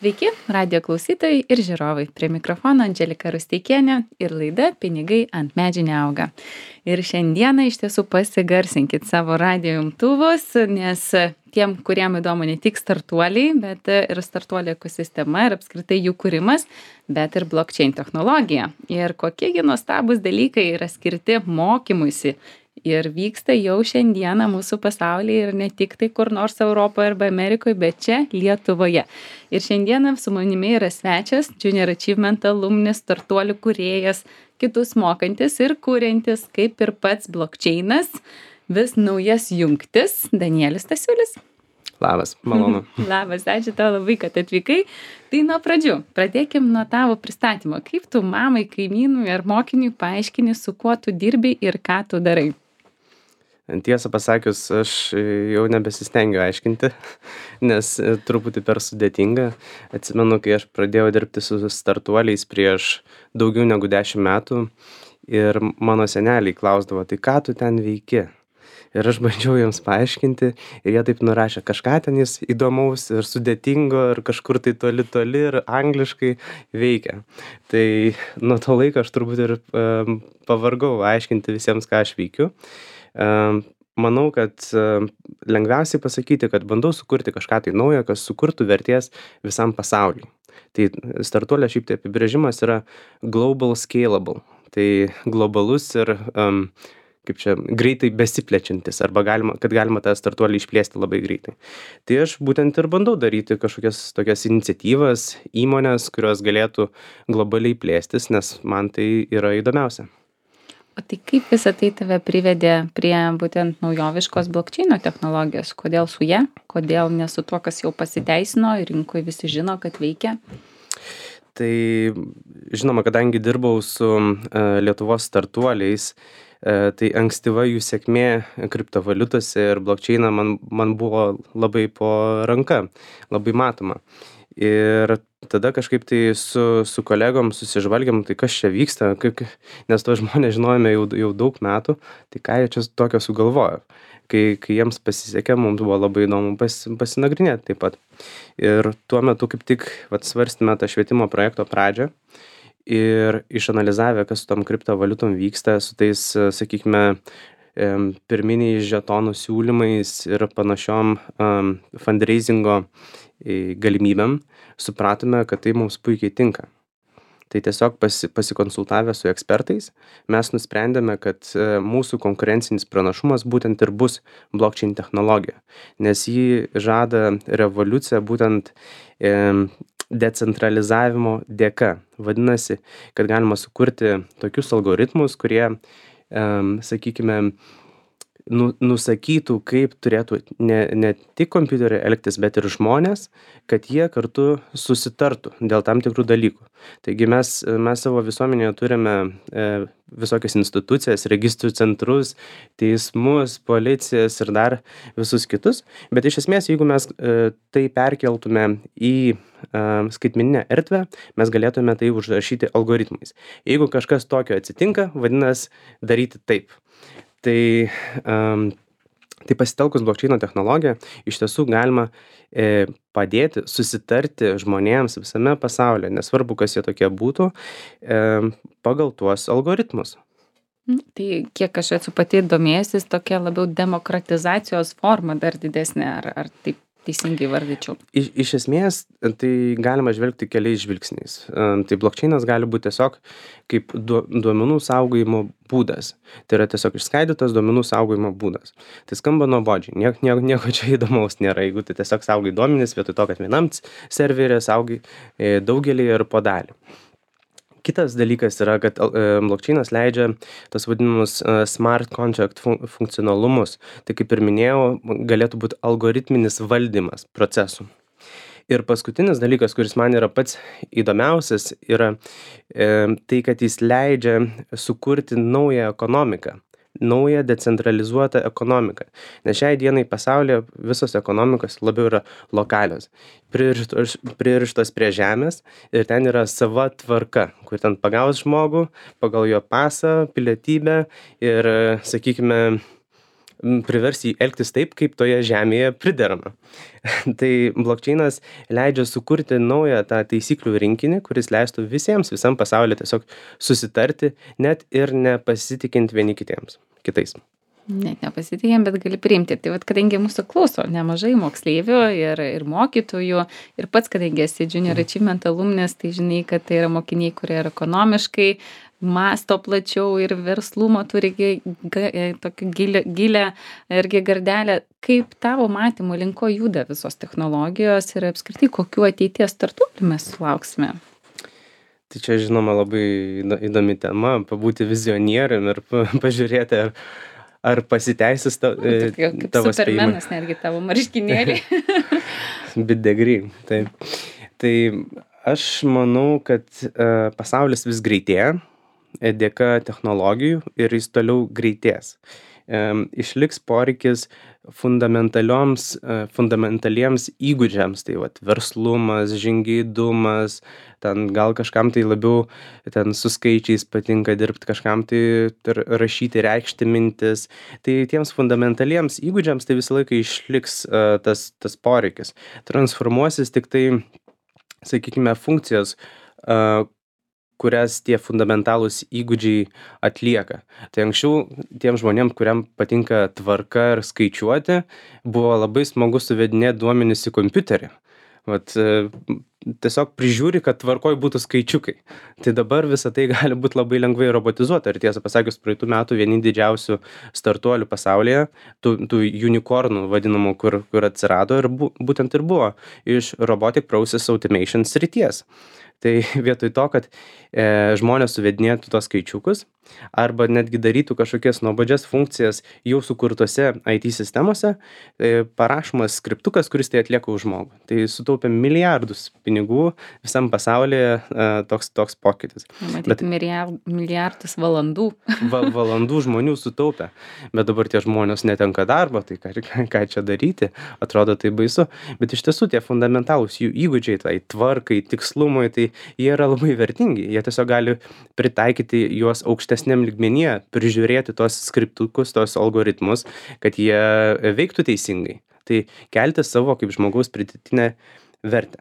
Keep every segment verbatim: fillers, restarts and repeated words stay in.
Sveiki, radio klausytojai ir žiūrovai. Prie mikrofono Andželika Rusteikienė ir laida Pinigai ant medžių neauga. Ir šiandieną iš tiesų pasigarsinkit savo radio imtuvus, nes tiem, kuriem įdomu ne tik startuoliai, bet ir startuolių ekosistema ir apskritai jų kūrimas, bet ir blockchain technologija. Ir kokiegi nuostabūs dalykai yra skirti mokymuisi. Ir vyksta jau šiandieną mūsų pasaulyje ir ne tik tai kur nors Europoje arba Amerikoje, bet čia Lietuvoje. Ir šiandieną su manimi yra svečias, Junior Achievement alumnis, startuolių kūrėjas, kitus mokantis ir kūrintis, kaip ir pats blockchainas, vis naujas jungtis, Danielis Stasiulis. Labas, malonu. Labas, ačiū tau labai, kad atvykai. Tai nuo pradžių, pradėkim nuo tavo pristatymo. Kaip tu mamai, kaimynui ar mokiniui paaiškini, su kuo tu dirbi ir ką tu darai? Tiesą pasakius, aš jau nebesistengiu aiškinti, nes truputį per sudėtinga. Atsimenu, kai aš pradėjau dirbti su startuoliais prieš daugiau negu dešimt metų ir mano seneliai klausdavo, tai ką tu ten veiki? Ir aš bandžiau jiems paaiškinti ir jie taip nurašė kažką ten jis įdomaus ir sudėtingo ir kažkur tai toli toli ir angliškai veikia. Tai nuo to laiko aš turbūt ir um, pavargau aiškinti visiems, ką aš veikiu. Um, manau, kad um, lengviausiai pasakyti, kad bandau sukurti kažką tai naujo, kas sukurtų vertės visam pasauliui. Tai startuolio šiaip tai apibrėžimas yra global scalable. Tai globalus ir um, kaip čia, greitai besiplečiantis, arba galima, kad galima tą startuolį išplėsti labai greitai. Tai aš būtent ir bandau daryti kažkokias tokias iniciatyvas, įmonės, kurios galėtų globaliai plėstis, nes man tai yra įdomiausia. O tai kaip visą tai tave privedė prie būtent naujoviškos blockchaino technologijos? Kodėl su ja? Kodėl ne su tuo, kas jau pasiteisino ir rinkoje visi žino, kad veikia? Tai žinoma, kadangi dirbau su uh, Lietuvos startuoliais, tai ankstyva jų sėkmė kriptovaliutose ir blockchainą man, man buvo labai po ranka, labai matoma. Ir tada kažkaip tai su, su kolegom susižvalgiam, tai kas čia vyksta, kaip, nes to žmonės žinojame jau, jau daug metų, tai ką jie čia tokio sugalvojo. Kai, kai jiems pasisekė, mums buvo labai įdomu pas, pasinagrinėti taip pat. Ir tuo metu kaip tik vat, svarstėme tą švietimo projekto pradžią. Ir išanalizavę, kas su tom kriptovaliutom vyksta, su tais, sakykime, pirminiais žetonų siūlymais ir panašiom um, fundraisingo galimybėm, supratome, kad tai mums puikiai tinka. Tai tiesiog pasi, pasikonsultavę su ekspertais, mes nusprendėme, kad mūsų konkurencinis pranašumas būtent ir bus blockchain technologija, nes ji žada revoliuciją būtent e, decentralizavimo dėka. Vadinasi, kad galima sukurti tokius algoritmus, kurie, um, sakykime, nu, nusakytų, kaip turėtų ne, ne tik kompiuteriai elgtis, bet ir žmonės, kad jie kartu susitartų dėl tam tikrų dalykų. Taigi mes, mes savo visuomenėje turime e, visokias institucijas, registrų centrus, teismus, policijas ir dar visus kitus. Bet iš esmės, jeigu mes e, tai perkeltume į e, skaitmeninę erdvę, mes galėtume tai užrašyti algoritmais. Jeigu kažkas tokio atsitinka, vadinasi daryti taip. Tai, um, tai pasitelkus blockchaino technologiją iš tiesų galima e, padėti susitarti žmonėms visame pasaulyje, nesvarbu, kas jie tokie būtų, e, pagal tuos algoritmus. Tai kiek aš esu pati domėjusis, tokia labiau demokratizacijos forma dar didesnė, ar, ar taip teisingai vardyčiau? Iš, iš esmės, tai galima žvelgti keliais žvilgsniais. Tai blockchainas gali būti tiesiog kaip duomenų saugojimo būdas. Tai yra tiesiog išskaidytas duomenų saugojimo būdas. Tai skamba nuobodžiai, nieko, nieko, nieko čia įdomaus nėra, jeigu tai tiesiog saugai duomenis, vietoj to, kad vienam serverė saugai daugelį ir po dalį. Kitas dalykas yra, kad blockchainas leidžia tas vadinamus smart contract funkcionalumus. Tai kaip ir minėjau, galėtų būti algoritminis valdymas procesų. Ir paskutinis dalykas, kuris man yra pats įdomiausias, yra e, tai, kad jis leidžia sukurti naują ekonomiką. Naują decentralizuotą ekonomiką. Nes šiai dienai pasaulyje visos ekonomikos labiau yra lokalios, pririštos, pririštos prie žemės ir ten yra sava tvarka, kur ten pagaus žmogų pagal jo pasą, pilietybę ir, sakykime, privers jį elgtis taip, kaip toje žemėje priderama. Tai blokčeinas leidžia sukurti naują tą taisyklių rinkinį, kuris leistų visiems, visam pasaulyje tiesiog susitarti, net ir nepasitikint vieni kitiems, kitais. Net nepasitikėjom, bet gali priimti. Tai vat, kadangi mūsų klauso nemažai moksleivių ir, ir mokytojų, ir pats, kadangi esi Junior Achievement alumnis, tai žinai, kad tai yra mokiniai, kurie yra ekonomiškai, masto plačiau ir verslumo turi tokį gilę, gilę irgi gardelę. Kaip tavo matymo linko juda visos technologijos ir apskritai kokių ateities startuolių mes sulauksime? Tai čia, žinoma, labai įdomi tema, pabūti vizionierium ir pažiūrėti, ar Ar pasiteisis ta, Kaip tavo spėjimai? Supermenas netgi tavo marškinėlį. Bit degree, taip. Tai aš manau, kad uh, pasaulis vis greitėja dėka technologijų ir jis toliau greitės. Um, išliks poreikis fundamentalioms, uh, fundamentaliems įgūdžiams, tai vat, verslumas, žingeidumas, ten gal kažkam tai labiau ten su skaičiais patinka dirbti, kažkam tai rašyti, reikšti mintis. Tai tiems fundamentaliems įgūdžiams tai visą laiką išliks uh, tas, tas poreikis. Transformuosis tik tai, sakykime, funkcijos, uh, kurias tie fundamentalūs įgūdžiai atlieka. Tai anksčiau tiem žmonėm, kuriam patinka tvarka ir skaičiuoti, buvo labai smagu suvedinėti duomenis į kompiuterį. Vat, tiesiog prižiūri, kad tvarkoj būtų skaičiukai. Tai dabar visą tai gali būti labai lengvai robotizuota. Ir tiesą pasakius, praeitų metų vieni didžiausių startuolių pasaulyje, tų, tų unicornų vadinamų, kur, kur atsirado ir bu, būtent ir buvo iš Robotic Process Automation srities. Tai vietoj to, kad e, žmonės suvedinėtų tos skaičiukus arba netgi darytų kažkokias nuobodžias funkcijas jau sukurtose I T sistemose, e, parašomas skriptukas, kuris tai atlieka už žmogų. Tai sutaupė milijardus pinigų visam pasaulyje e, toks, toks pokytis. Matyti, bet milijardus valandų. Va, valandų žmonių sutaupė, bet dabar tie žmonės netenka darbo, tai ką, ką čia daryti, atrodo tai baisu. Bet iš tiesų tie fundamentalūs jų įgūdžiai, tai tvarkai, tikslumui, tai jie yra labai vertingi. Jie tiesiog gali pritaikyti juos aukštesniam lygmenyje, prižiūrėti tos skriptukus, tos algoritmus, kad jie veiktų teisingai. Tai kelti savo kaip žmogaus pridėtinę vertę.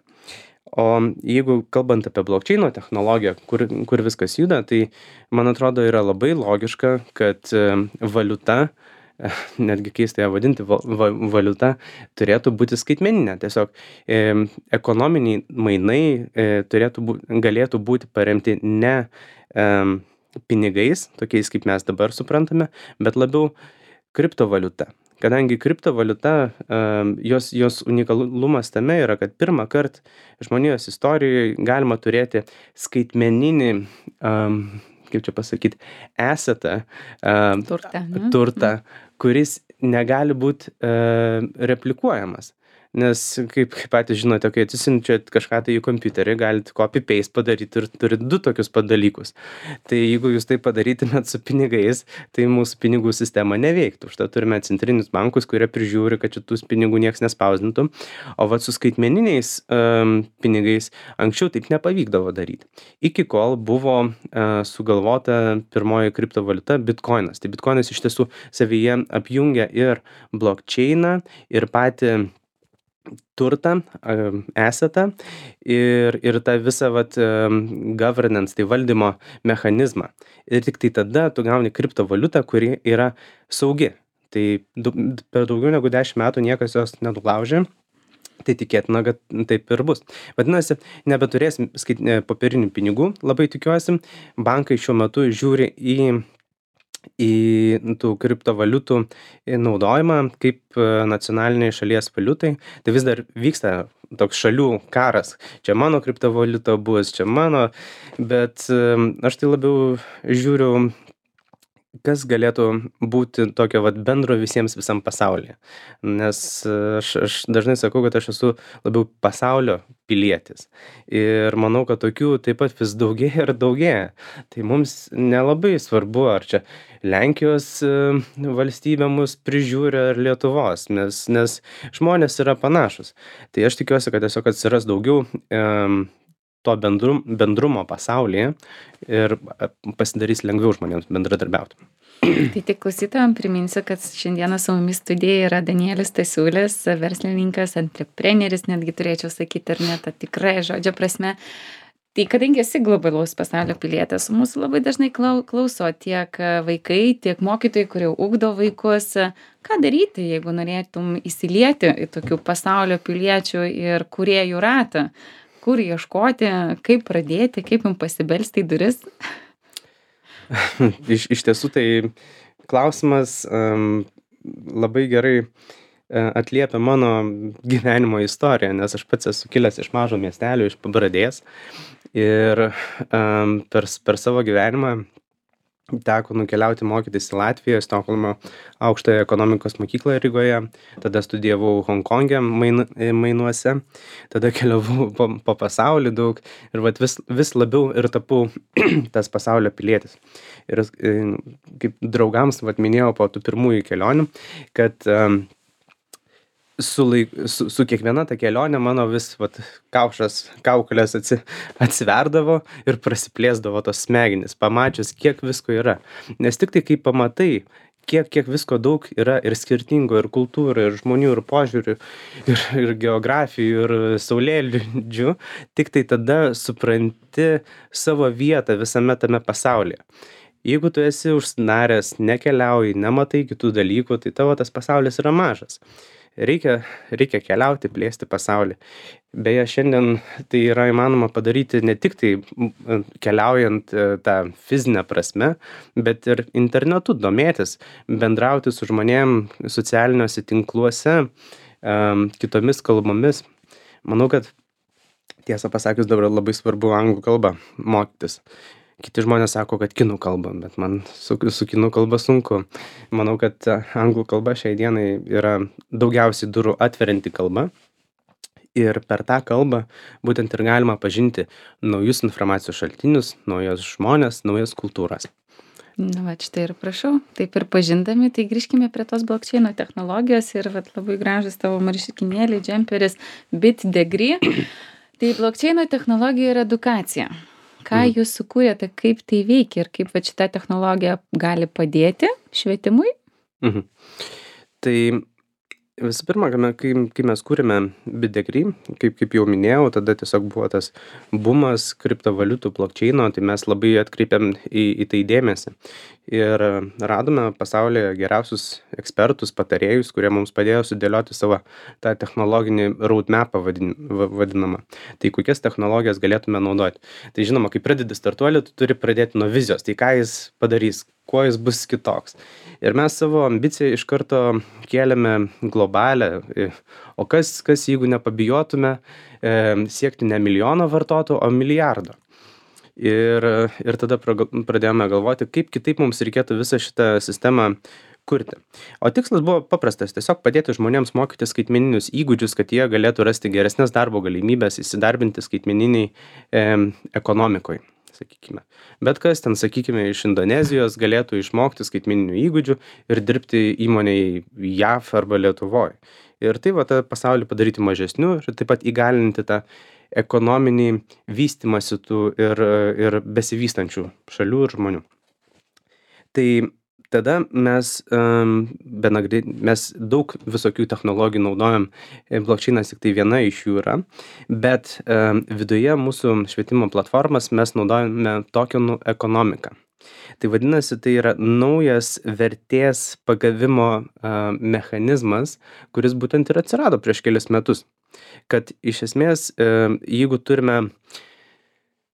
O jeigu kalbant apie blokčeino technologiją, kur, kur viskas juda, tai man atrodo yra labai logiška, kad valiuta, netgi keista ją vadinti, va, va, valiuta turėtų būti skaitmeninė. Tiesiog e, ekonominiai mainai e, turėtų bū, galėtų būti paremti ne e, pinigais, tokiais kaip mes dabar suprantame, bet labiau kriptovaliuta. Kadangi kriptovaliuta, e, jos, jos unikalumas tame yra, kad pirmą kartą žmonijos istorijoje galima turėti skaitmeninį e, kaip čia pasakyti, assetą, uh, turtą, turtą, kuris negali būti uh, replikuojamas. Nes, kaip, kaip patys žinote, kai atsisinčiat kažką tai į kompiuterį, galite copy-paste padaryti ir turite du tokius pat dalykus. Tai jeigu jūs tai padarytumėt su pinigais, tai mūsų pinigų sistema neveiktų. Užtai turime centrinius bankus, kurie prižiūri, kad šitus pinigų nieks nespausdintų. O vat su skaitmeniniais um, pinigais anksčiau taip nepavykdavo daryti. Iki kol buvo uh, sugalvota pirmoji kriptovaliuta Bitcoinas. Tai Bitcoinas iš tiesų savyje apjungia ir blockchainą, ir patį turtą, assetą ir, ir tą visą vat, governance, tai valdymo mechanizmą. Ir tik tai tada tu gauni kriptovaliutą, kuri yra saugi. Tai du, per daugiau negu dešimt metų niekas jos nenulaužė. Tai tikėtina, kad taip ir bus. Vadinasi, nebeturėsim skait, popierinių pinigų, labai tikiuosi. Bankai šiuo metu žiūri į į tų kriptovaliutų naudojimą kaip nacionaliniai šalies valiutai. Tai vis dar vyksta toks šalių karas. Čia mano kriptovaliuta bus, čia mano, bet aš tai labiau žiūriu, kas galėtų būti tokio vat bendro visiems visam pasaulyje. Nes aš, aš dažnai sakau, kad aš esu labiau pasaulio pilietis. Ir manau, kad tokių taip pat vis daugėja ir daugėja. Tai mums nelabai svarbu, ar čia Lenkijos valstybė mus prižiūri ar Lietuvos, nes, nes žmonės yra panašus. Tai aš tikiuosi, kad tiesiog atsiras daugiau um, to bendrum, bendrumo pasaulyje ir pasidarys lengviau žmonėms bendradarbiauti. Tai tik klausytojam priminsiu, kad šiandieną su mumis studijoje yra Danielis Stasiulis, verslininkas, antrepreneris, netgi turėčiau sakyti, ar ne, ta tikrai žodžio prasme. Tai kadangi esi globalaus pasaulio pilietės, mūsų labai dažnai klauso tiek vaikai, tiek mokytojai, kurie ugdo vaikus. Ką daryti, jeigu norėtum įsilieti į tokių pasaulio piliečių ir kūrėjų ratą? Kur ieškoti, kaip pradėti, kaip jums pasibelsti į duris? iš, iš tiesų tai klausimas um, labai gerai atliepia mano gyvenimo istoriją, nes aš pats esu kilęs iš mažo miestelio, iš Pabradės ir um, per, per savo gyvenimą teko nukeliauti mokytis į Latviją, Stokholmo aukštąją ekonomikos mokyklą Rygoje, tada studijavau Honkongė main, mainuose, tada keliavau po, po pasaulį daug ir vat vis, vis labiau ir tapau tas pasaulio pilietis. Ir kaip draugams vat minėjau po tų pirmųjų kelionių, kad um, Su, laik, su, su kiekviena ta kelionė mano vis vat, kaušas, kaukolės atsi, atsiverdavo ir prasiplėsdavo tos smegenys, pamačius, kiek visko yra. Nes tik tai, kai pamatai, kiek, kiek visko daug yra ir skirtingo, ir kultūrų, ir žmonių, ir požiūrių, ir, ir geografijų, ir saulėlydžių, tik tai tada supranti savo vietą visame tame pasaulyje. Jeigu tu esi užsinaręs, nekeliauji, nematai kitų dalykų, tai tavo tas pasaulis yra mažas. Reikia, reikia keliauti, plėsti pasaulį. Beje, šiandien tai yra įmanoma padaryti ne tik tai keliaujant tą fizinę prasme, bet ir internetu domėtis, bendrauti su žmonėm socialiniuose tinkluose, um, kitomis kalbomis. Manau, kad tiesą pasakius dabar labai svarbu anglų kalbą mokytis. Kiti žmonės sako, kad kinų kalba, bet man su, su kinų kalba sunku. Manau, kad anglų kalba šiai dienai yra daugiausiai durų atverianti kalba. Ir per tą kalbą būtent ir galima pažinti naujus informacijos šaltinius, naujas žmonės, naujas kultūras. Na, va, štai ir prašau, taip ir pažindami, tai grįžkime prie tos blockchaino technologijos ir va, labai gražus tavo marškinėliai, džemperis, BitDegree. Tai blockchaino technologija yra edukacija. Ką mm. jūs sukūrėte, kaip tai veikia ir kaip va, šita technologija gali padėti švietimui? Mhm. Tai visų pirma, kai, kai mes kūrėme BitDegree, kaip, kaip jau minėjau, tada tiesiog buvo tas bumas kriptovaliutų blockchaino, tai mes labai atkreipėm į, į tai dėmesį. Ir radome pasaulyje geriausius ekspertus, patarėjus, kurie mums padėjo sudėlioti savo tą technologinį roadmapą vadinamą. Tai kokias technologijas galėtume naudoti. Tai žinoma, kai pradedi startuolį, tu turi pradėti nuo vizijos. Tai ką jis padarys, kuo jis bus kitoks. Ir mes savo ambiciją iš karto kėlėme globalę. O kas, kas jeigu nepabijotume e, siekti ne milijono vartotojų, o milijardo. Ir, ir tada pradėjome galvoti, kaip kitaip mums reikėtų visą šitą sistemą kurti. O tikslas buvo paprastas, tiesiog padėti žmonėms mokyti skaitmeninius įgūdžius, kad jie galėtų rasti geresnės darbo galimybės, įsidarbinti skaitmeniniai e, ekonomikoje, sakykime. Bet kas ten, sakykime, iš Indonezijos galėtų išmokti skaitmeninių įgūdžių ir dirbti įmonėje J A V arba Lietuvoje. Ir tai va tą pasaulį padaryti mažesniu ir taip pat įgalinti tą ekonominį vystymąsi tų ir, ir besivystančių šalių ir žmonių. Tai tada mes, um, benagri, mes daug visokių technologijų naudojam, blockchainas tik tai viena iš jų yra, bet um, viduje mūsų švietimo platformas mes naudojame tokenų ekonomiką. Tai vadinasi, tai yra naujas vertės pagavimo uh, mechanizmas, kuris būtent ir atsirado prieš kelius metus. Kad iš esmės, uh, jeigu turime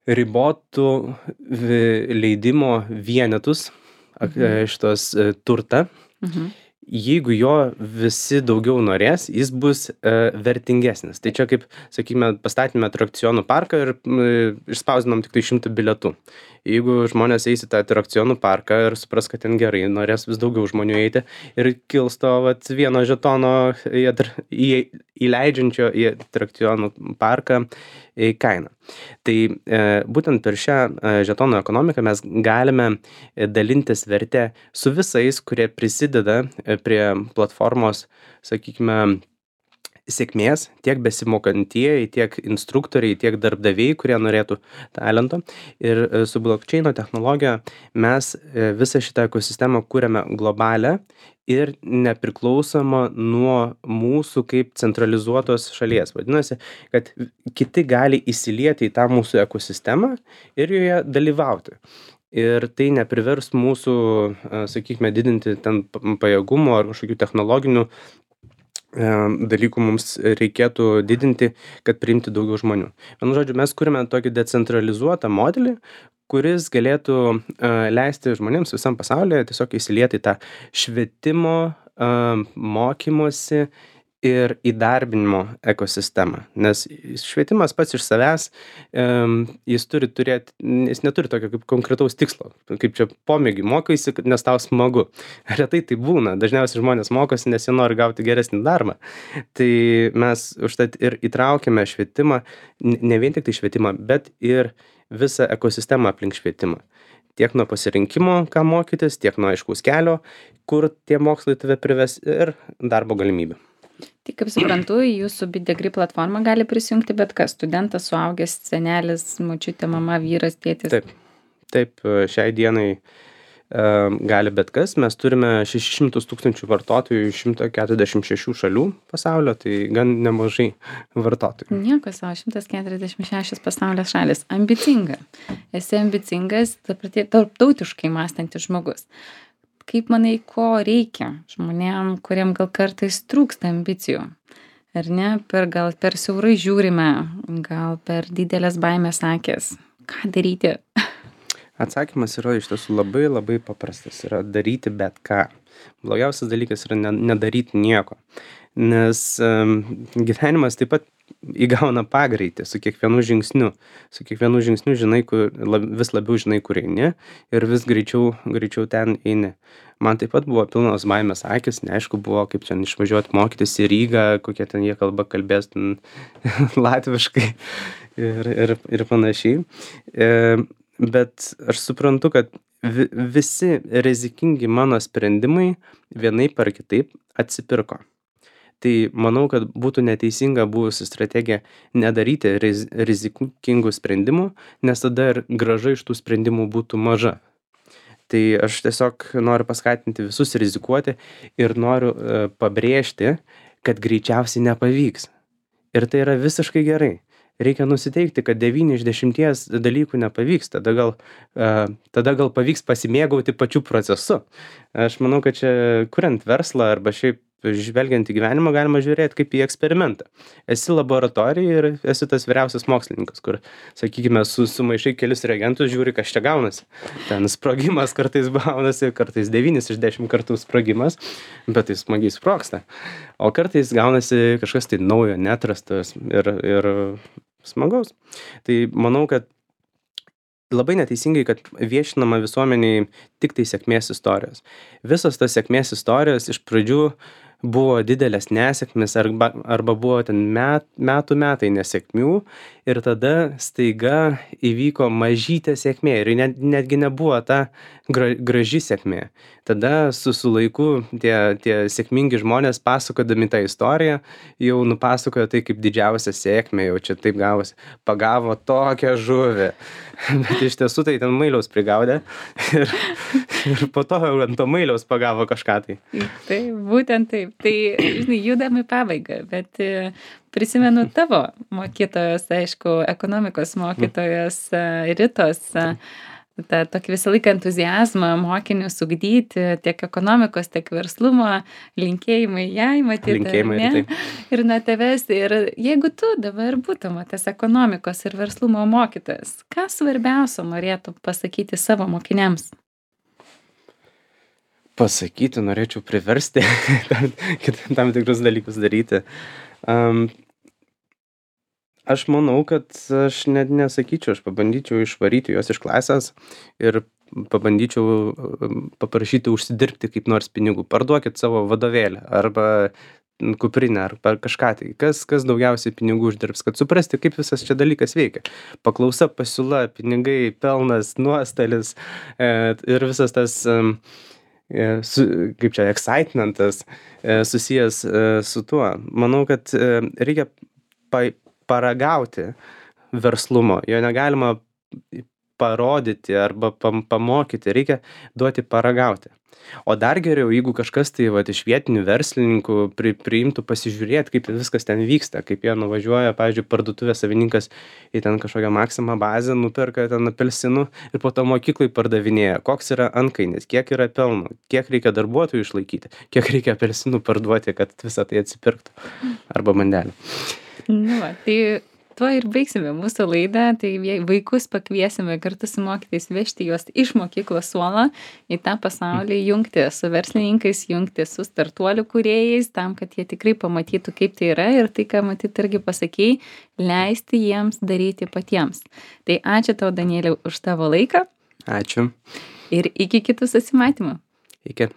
ribotų leidimo vienetus, mhm. šitos uh, turtą, mhm. jeigu jo visi daugiau norės, jis bus uh, vertingesnis. Tai čia kaip, sakykime, pastatėme atrakcionų parką ir uh, išspausdinom tik tai šimtą bilietų. Jeigu žmonės eis į tą atrakcionų parką ir supras, kad ten gerai, norės vis daugiau žmonių eiti ir kils to vat, vieno žetono į, į, įleidžiančio į atrakcionų parką į kainą. Tai e, būtent per šią e, žetonų ekonomiką mes galime dalintis vertę su visais, kurie prisideda prie platformos, sakykime, sėkmės tiek besimokantieji, tiek instruktoriai, tiek darbdaviai, kurie norėtų talento. Ir e, su blockchaino technologija mes e, visą šitą ekosistemą kūrėme globalią ir nepriklausomą nuo mūsų kaip centralizuotos šalies. Vadinasi, kad kiti gali įsilieti į tą mūsų ekosistemą ir joje dalyvauti. Ir tai neprivers mūsų, e, sakykime, didinti ten p- pajėgumo ar kažkokių technologinių e, dalykų mums reikėtų didinti, kad priimti daugiau žmonių. Vienu žodžiu, mes kūrėme tokį decentralizuotą modelį, kuris galėtų e, leisti žmonėms visam pasaulyje tiesiog įsilieti į tą švietimo, e, mokymosi ir įdarbinimo ekosistemą. Nes švietimas pats iš savęs, em, jis turi turėti, jis neturi tokio kaip konkretaus tikslo. Kaip čia pomėgį mokaisi, kad- nes tau smagu. Retai tai būna. Dažniausiai žmonės mokosi, nes jie nori gauti geresnį darbą. Tai mes užtat ir įtraukėme švietimą, n- ne vien tik tai švietimą, bet ir visą ekosistemą aplink švietimą. Tiek nuo pasirinkimo, ką mokytis, tiek nuo aiškaus kelio, kur tie mokslai tave prives ir darbo galimybių. Tai kaip suprantu, į jūsų BitDegree platformą gali prisijungti bet kas. Studentas, suaugęs, senelis, močiutė, mama, vyras, tėtis. Taip, taip, e, šiai dienai e, gali bet kas. Mes turime šešis šimtus tūkstančių vartotojų iš šimto keturiasdešimt šešių šalių pasaulio, tai gan nemažai vartotojų. Nieko savo, šimtas keturiasdešimt šešios pasaulio šalis. Ambicinga. Esi ambicingas, ta prati- tarptautiškai mąstantis žmogus. Kaip manai, ko reikia žmonėm, kuriem gal kartais trūksta ambicijų? Ar ne? Per gal per siaurai žiūrime, gal per didelės baimės akės. Ką daryti? Atsakymas yra iš tiesų labai labai paprastas. Yra daryti bet ką. Blogiausias dalykas yra ne, nedaryti nieko. Nes um, gyvenimas taip pat įgauna pagreitį su kiekvienu žingsniu. Su kiekvienu žingsniu žinai, kur, lab, vis labiau žinai, kur eini ir vis greičiau, greičiau ten eini. Man taip pat buvo pilnos baimės akis, neaišku buvo, kaip čia išvažiuoti mokytis į Rygą, kokie ten jie kalba kalbės ten latviškai ir, ir, ir panašiai. E, bet aš suprantu, kad vi, visi rizikingi mano sprendimai vienaip ar kitaip atsipirko. Tai manau, kad būtų neteisinga buvusi strategija nedaryti riz, rizikingų sprendimų, nes tada ir grąža iš tų sprendimų būtų maža. Tai aš tiesiog noriu paskatinti visus rizikuoti ir noriu e, pabrėžti, kad greičiausiai nepavyks. Ir tai yra visiškai gerai. Reikia nusiteikti, kad devyni iš dešimties dalykų nepavyks, tada gal, uh, tada gal pavyks pasimėgauti pačiu procesu. Aš manau, kad čia kuriant verslą arba šiaip žvelgiant į gyvenimą galima žiūrėti kaip į eksperimentą. Esi laboratorija ir esi tas vyriausias mokslininkas, kur, sakykime, su, sumaišai kelis reagentus, žiūri, kas čia gaunasi. Ten sprogimas kartais gaunasi, kartais devynis iš dešimt kartų sprogimas, bet tai smagiai sprogsta. O kartais gaunasi kažkas tai naujo, neatrastas ir, ir smagaus. Tai manau, kad labai neteisingai, kad viešinama visuomeniai tik tai sėkmės istorijos. Visos tas sėkmės istorijos iš pradžių buvo didelės nesėkmės arba, arba buvo ten met, metų metai nesėkmių ir tada staiga įvyko mažytė sėkmė ir net, netgi nebuvo ta gra, graži sėkmė. Tada su, su laiku tie, tie sėkmingi žmonės pasakodami tą istoriją jau nupasakojo tai kaip didžiausią sėkmę, jau čia taip gavosi, pagavo tokią žuvį. Bet iš tiesų tai ten mailiaus prigaudė ir, ir po to ant to mailiaus pagavo kažką tai. Tai būtent taip. Tai, žinai, judam į pabaigą, bet e, prisimenu tavo mokytojos, aišku, ekonomikos mokytojos e, Ritos, e, tą tokį visą laiką entuziazmą mokinius ugdyti, tiek ekonomikos, tiek verslumo, linkėjimai jai, matyti, Linkėjimai, ne? taip. Ir nuo tavęs. Ir jeigu tu dabar būtum tas ekonomikos ir verslumo mokytojas, ką svarbiausio norėtų pasakyti savo mokiniams? Pasakyti, norėčiau priversti tam, tam tikrus dalykus daryti. Um, aš manau, kad aš net nesakyčiau, aš pabandyčiau išvaryti juos iš klasės ir pabandyčiau um, paprašyti užsidirbti kaip nors pinigų. Parduokit savo vadovėlį arba kuprinę arba kažką tai. Kas, kas daugiausiai pinigų uždirbs, kad suprasti, kaip visas čia dalykas veikia. Paklausa, pasiūla, pinigai, pelnas, nuostolis e, ir visas tas... Um, e, su, kaip čia, excitementas e, susijęs e, su tuo. Manau, kad e, reikia pa, paragauti verslumo. Jo negalima parodyti arba pam, pamokyti, reikia duoti paragauti. O dar geriau, jeigu kažkas tai vat, iš vietinių verslininkų pri, priimtų pasižiūrėti, kaip viskas ten vyksta, kaip jie nuvažiuoja, pavyzdžiui, parduotuvės savininkas į ten kažkokią Maxima bazę, nuperka ten apelsinų ir po to mokyklai pardavinėja, koks yra antkainis, kiek yra pelno, kiek reikia darbuotojų išlaikyti, kiek reikia apelsinų parduoti, kad visą tai atsipirktų arba mandelį. Nu, va, tai tuo ir baigsime mūsų laidą, tai vaikus pakviesime kartu su mokytais vežti juos iš mokyklos suolo į tą pasaulį, jungti su verslininkais, jungti su startuolių kūrėjais, tam, kad jie tikrai pamatytų, kaip tai yra ir tai, ką matyt irgi pasakėjai, leisti jiems daryti patiems. Tai ačiū tau, Danieliau, už tavo laiką. Ačiū. Ir iki kitų susimatymų. Iki.